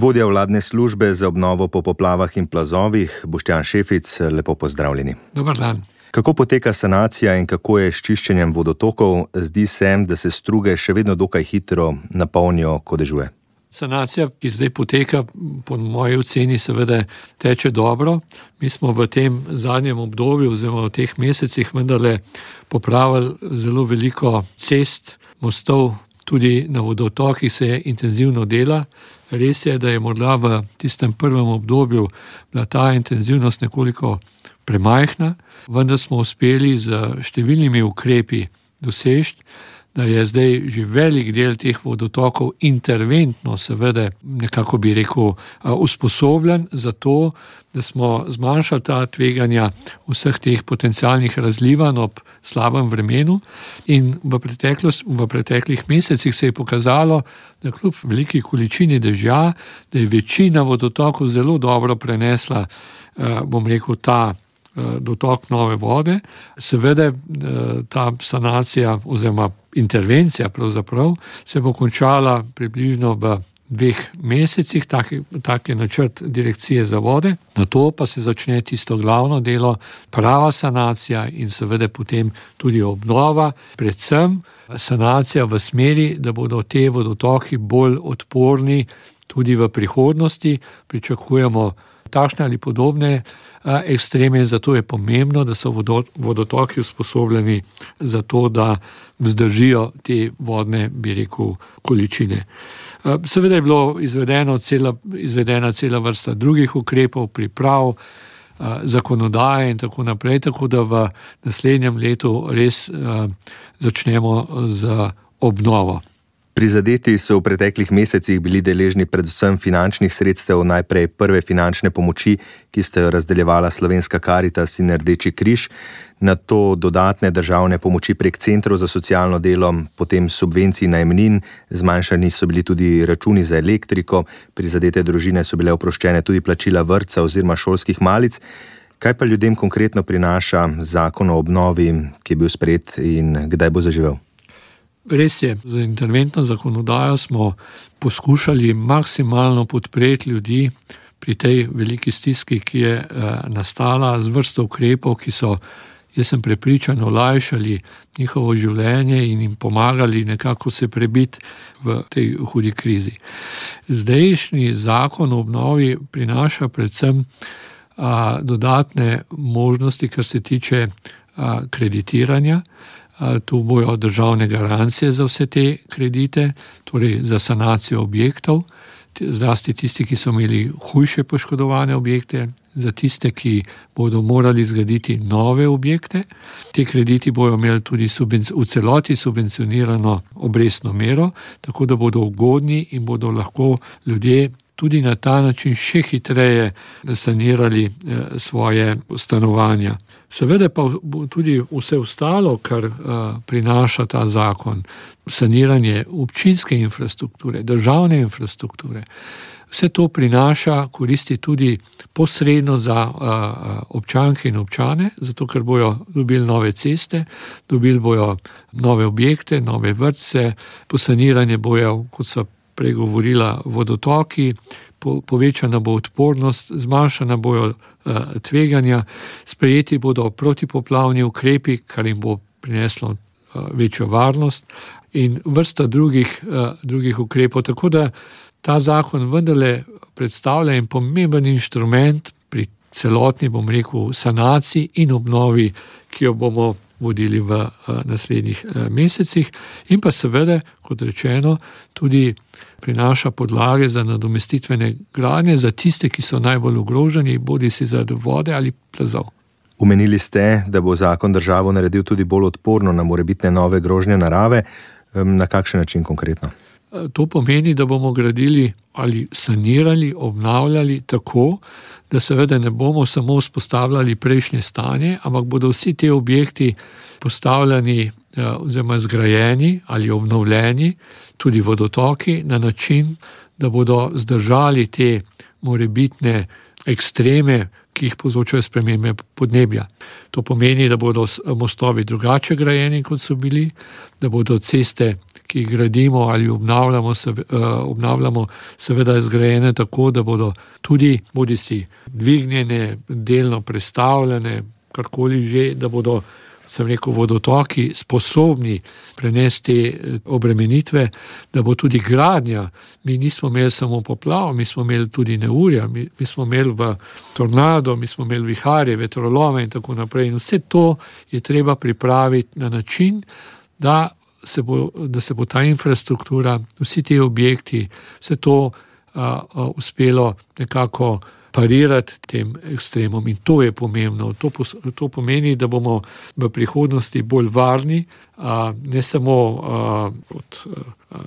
Vodja vladne službe za obnovo po poplavah in plazovih, Boštjan Šefic, lepo pozdravljeni. Dobar dan. Kako poteka sanacija in kako je s čiščenjem vodotokov? Zdi se, da se struge še vedno dokaj hitro napolnijo, ko dežuje. Sanacija, ki zdaj poteka, po moji oceni seveda teče dobro. Mi smo v tem zadnjem obdobju oziroma v teh mesecih vendarle popravili zelo veliko cest, mostov, tudi na vodotokih se intenzivno dela. Res je, da je morda v tistem prvem obdobju bila ta intenzivnost nekoliko premajhna, vendar smo uspeli z številnimi ukrepi doseči, da je zdaj že velik del teh vodotokov interventno, seveda nekako bi rekel, usposobljen za to, da smo zmanjšali ta tveganja vseh teh potencialnih razlivanj ob slabem vremenu. In v preteklih mesecih se je pokazalo, da kljub veliki količini dežja, da je večina vodotokov zelo dobro prenesla, ta dotok nove vode. Seveda ta sanacija oziroma intervencija pravzaprav se bo končala približno v 2 mesecih, tak je načrt Direkcije za vode. Nato pa se začne tisto glavno delo, prava sanacija in seveda potem tudi obnova, predvsem sanacija v smeri, da bodo te vodotoki bolj odporni tudi v prihodnosti. Pričakujemo takšne ali podobne ekstreme, zato je pomembno, da so vodotoki usposobljeni za to, da vzdržijo te vodne, bi rekel, količine. Seveda je bilo izvedena cela vrsta drugih ukrepov, priprav, zakonodaje in tako naprej, tako da v naslednjem letu res začnemo z obnovo. Prizadeti so v preteklih mesecih bili deležni predvsem finančnih sredstev, najprej prve finančne pomoči, ki sta jo razdeljevala Slovenska Karitas in Rdeči križ, nato dodatne državne pomoči prek centrov za socialno delo, potem subvencij najemnin, zmanjšani so bili tudi računi za elektriko, prizadete družine so bile oproščene tudi plačila vrtca oziroma šolskih malic. Kaj pa ljudem konkretno prinaša zakon o obnovi, ki je bil sprejet in kdaj bo zaživel? Res je, z interventno zakonodajo smo poskušali maksimalno podpreti ljudi pri tej veliki stiski, ki je nastala, z vrsto ukrepov, ki so, jaz sem prepričan, olajšali njihovo življenje in jim pomagali nekako se prebiti v tej hudi krizi. Zdajšnji zakon o obnovi prinaša predvsem dodatne možnosti, kar se tiče kreditiranja. Tu bojo državne garancije za vse te kredite, torej za sanacijo objektov, zlasti tisti, ki so imeli hujše poškodovane objekte, za tiste, ki bodo morali zgraditi nove objekte. Te krediti bojo imeli tudi v celoti subvencionirano obrestno mero, tako da bodo ugodni in bodo lahko ljudje tudi na ta način še hitreje sanirali svoje stanovanja. Seveda pa tudi vse ostalo, kar prinaša ta zakon, saniranje občinske infrastrukture, državne infrastrukture, vse to prinaša koristi tudi posredno za občanke in občane, zato ker bojo dobili nove ceste, dobili bojo nove objekte, nove vrtce, posaniranje bojo, kot so pregovorila, vodotoki, povečana bo odpornost, zmanjšana bojo tveganja, sprejeti bodo protipoplavni ukrepi, kar jim bo prineslo večjo varnost in vrsta drugih ukrepov. Tako da ta zakon vendarle predstavlja en pomemben inštrument pri celotni, bom rekel, sanaciji in obnovi, ki jo bomo vodili v naslednjih mesecih in pa seveda, kot rečeno, tudi prinaša podlage za nadomestitvene gradnje za tiste, ki so najbolj ogroženi, bodisi zaradi vode ali plazov. Omenili ste, da bo zakon državo naredil tudi bolj odporno na morebitne nove grožnje narave. Na kakšen način konkretno? To pomeni, da bomo gradili ali sanirali, obnavljali tako, da seveda ne bomo samo vzpostavljali prejšnje stanje, ampak bodo vsi te objekti postavljeni oziroma zgrajeni ali obnovljeni, tudi vodotoki, na način, da bodo zdržali te morebitne ekstreme, ki jih povzročajo spremembe podnebja. To pomeni, da bodo mostovi drugače grajeni, kot so bili, da bodo ceste, ki jih gradimo ali obnavljamo, seveda zgrajene tako, da bodo tudi bodisi dvignjene, delno prestavljene, karkoli že, da bodo, sem rekel, vodotoki sposobni prenesti obremenitve, da bo tudi gradnja. Mi nismo imeli samo poplav, mi smo imeli tudi neurja, mi smo imeli v tornado, mi smo imeli viharje, vetrolome in tako naprej. In vse to je treba pripraviti na način, da se bo ta infrastruktura, vsi ti objekti, vse to uspelo nekako parirati tem ekstremom. In to je pomembno. To pomeni, da bomo v prihodnosti bolj varni, ne samo kot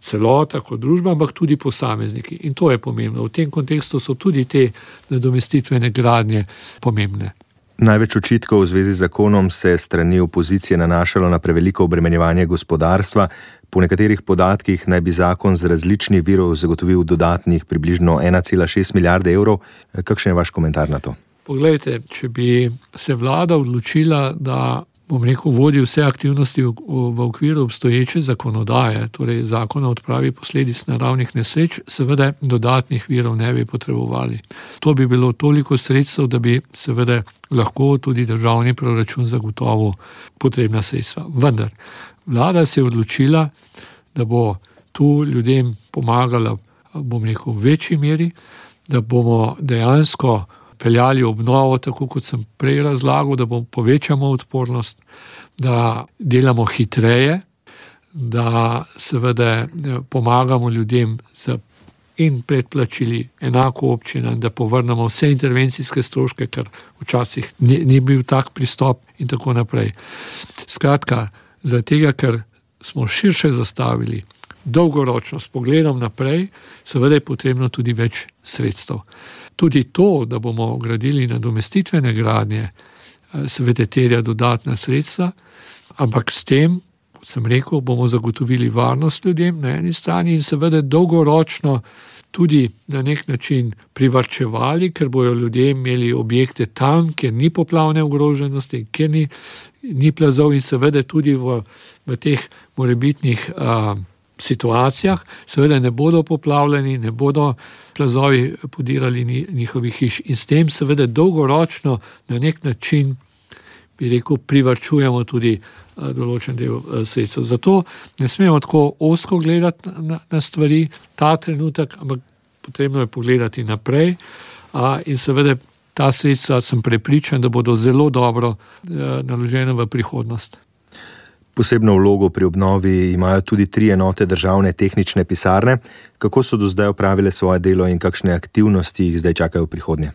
celota, kot družba, ampak tudi posamezniki. In to je pomembno. V tem kontekstu so tudi te nadomestitvene gradnje pomembne. Največ očitkov v zvezi z zakonom se strani opozicije nanašalo na preveliko obremenjevanje gospodarstva. Po nekaterih podatkih naj bi zakon z različnih virov zagotovil dodatnih približno 1,6 milijarde evrov. Kakšen je vaš komentar na to? Poglejte, če bi se vlada odločila, da vodi vse aktivnosti v okviru obstoječe zakonodaje, torej zakona o odpravi posledic naravnih nesreč, seveda dodatnih virov ne bi potrebovali. To bi bilo toliko sredstev, da bi seveda lahko tudi državni proračun zagotovil potrebna sredstva. Vendar vlada se je odločila, da bo tu ljudem pomagala, v večji meri, da bomo dejansko peljali obnovo, tako kot sem prej razlagal, da povečamo odpornost, da delamo hitreje, da seveda pomagamo ljudem in predplačili enako občinam, da povrnemo vse intervencijske stroške, ker včasih ni bil tak pristop in tako naprej. Skratka, zaradi tega, ker smo širše zastavili, dolgoročno s pogledom naprej, seveda je potrebno tudi več sredstev. Tudi to, da bomo gradili nadomestitvene gradnje, seveda terja dodatna sredstva, ampak s tem, kot sem rekel, bomo zagotovili varnost ljudem na eni strani in seveda dolgoročno tudi na nek način privarčevali, ker bojo ljudje imeli objekte tam, kjer ni poplavne ogroženosti, kjer ni plazov in seveda tudi v teh morebitnih situacijah, seveda ne bodo poplavljeni, ne bodo plazovi podirali njihovih hiš in s tem seveda dolgoročno na nek način, bi rekel, privarčujemo tudi določen del sredstev. Zato ne smemo tako ozko gledati na stvari ta trenutek, ampak potrebno je pogledati naprej in seveda ta sredstva sem prepričan, da bodo zelo dobro naložena v prihodnost. Posebno vlogo pri obnovi imajo tudi 3 enote državne tehnične pisarne. Kako so do zdaj opravile svoje delo in kakšne aktivnosti jih zdaj čakajo v prihodnje?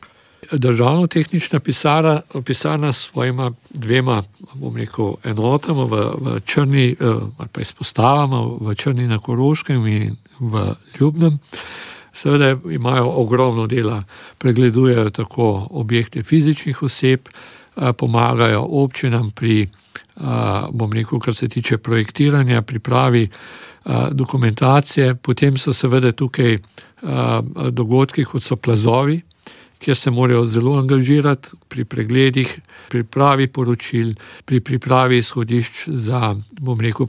Državna tehnična pisarna s svojima 2 enotama v Črni, ali pa izpostavama v Črni na Koroškem in v Ljubnem, seveda imajo ogromno dela, pregledujejo tako objekte fizičnih oseb, pomagajo občinam pri, kar se tiče projektiranja, pripravi dokumentacije, potem so seveda tukaj dogodki, kot so plazovi, kjer se morajo zelo angažirati pri pregledih, pripravi poročil, pri pripravi izhodišč za,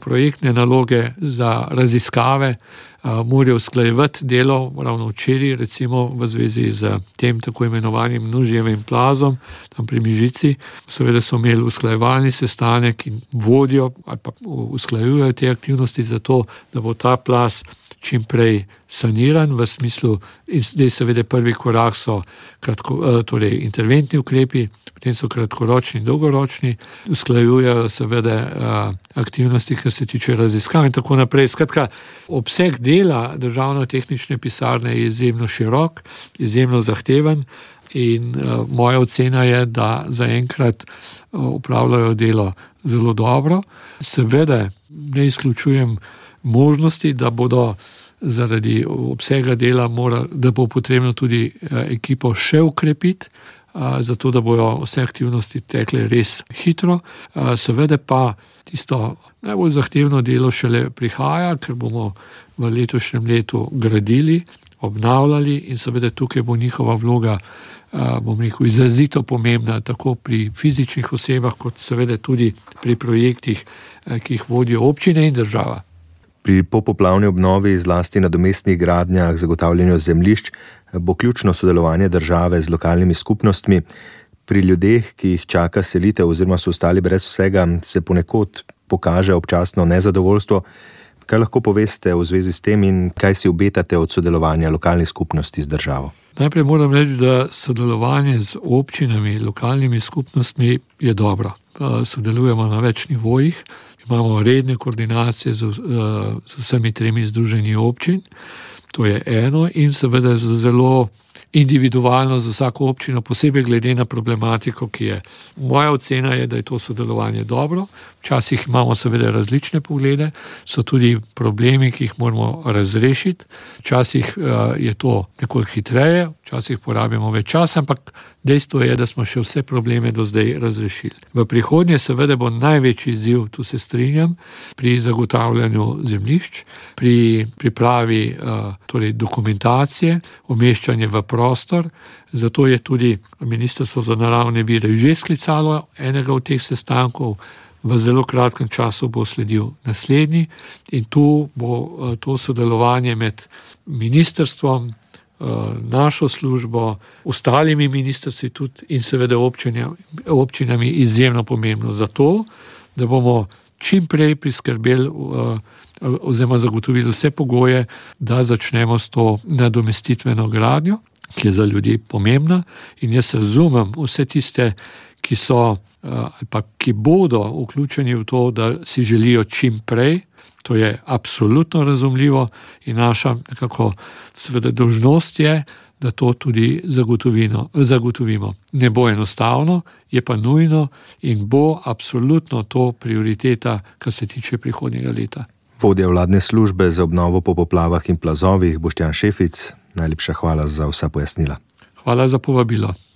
projektne naloge, za raziskave, morajo usklajevati delo, ravno včeraj, recimo v zvezi z tem tako imenovanim Nužijevim plazom, tam pri Mežici, seveda so imeli usklajevalni sestanek in vodijo ali pa usklajujejo te aktivnosti za to, da bo ta plaz čim prej saniran, v smislu, in zdaj seveda prvi korak so torej interventni ukrepi, potem so kratkoročni in dolgoročni, usklajujejo seveda aktivnosti, kar se tiče raziskav in tako naprej. Skratka, obseg dela državno-tehnične pisarne je izjemno širok, izjemno zahteven in moja ocena je, da zaenkrat opravljajo delo zelo dobro. Seveda ne izključujem možnosti, da bodo zaradi obsega dela da bo potrebno tudi ekipo še ukrepiti, zato da bojo vse aktivnosti tekle res hitro. Seveda pa tisto najbolj zahtevno delo šele prihaja, ker bomo v letošnjem letu gradili, obnavljali in seveda tukaj bo njihova vloga, izrazito pomembna, tako pri fizičnih osebah, kot seveda tudi pri projektih, ki jih vodijo občine in država. Pri popoplavni obnovi, zlasti nadomestnih gradnjah, zagotavljanju zemljišč, bo ključno sodelovanje države z lokalnimi skupnostmi. Pri ljudeh, ki jih čaka selitev oziroma so ostali brez vsega, se ponekod pokaže občasno nezadovoljstvo. Kaj lahko poveste v zvezi s tem in kaj si obetate od sodelovanja lokalnih skupnosti z državo? Najprej moram reči, da sodelovanje z občinami, lokalnimi skupnostmi je dobro. Sodelujemo na več nivojih, imamo redne koordinacije z vsemi 3 združenji občin, to je eno, in seveda zelo individualno za vsako občino, posebej glede na problematiko, ki je. Moja ocena je, da je to sodelovanje dobro. Včasih imamo seveda različne poglede, so tudi problemi, ki jih moramo razrešiti. Včasih je to nekoliko hitreje, včasih porabimo več časa, ampak dejstvo je, da smo še vse probleme do zdaj razrešili. V prihodnje seveda bo največji izziv, tu se strinjam, pri zagotavljanju zemljišč, pri pripravi torej dokumentacije, umeščanje v prostor. Zato je tudi Ministrstvo za naravne vire že sklicalo enega od teh sestankov. V zelo kratkem času bo sledil naslednji in tu bo to sodelovanje med ministrstvom, našo službo, ostalimi ministrstvi tudi in seveda občinami izjemno pomembno. Zato, da bomo čim prej priskrbeli oziroma zagotovili vse pogoje, da začnemo s to nadomestitveno gradnjo, ki je za ljudi pomembna, in jaz razumem vse tiste, ki so ali pa ki bodo vključeni v to, da si želijo čim prej. To je absolutno razumljivo in naša nekako seveda dolžnost je, da to tudi zagotovimo. Ne bo enostavno, je pa nujno in bo absolutno to prioriteta, kar se tiče prihodnjega leta. Vodja vladne službe za obnovo po poplavah in plazovih, Boštjan Šefic, najlepša hvala za vsa pojasnila. Hvala za povabilo.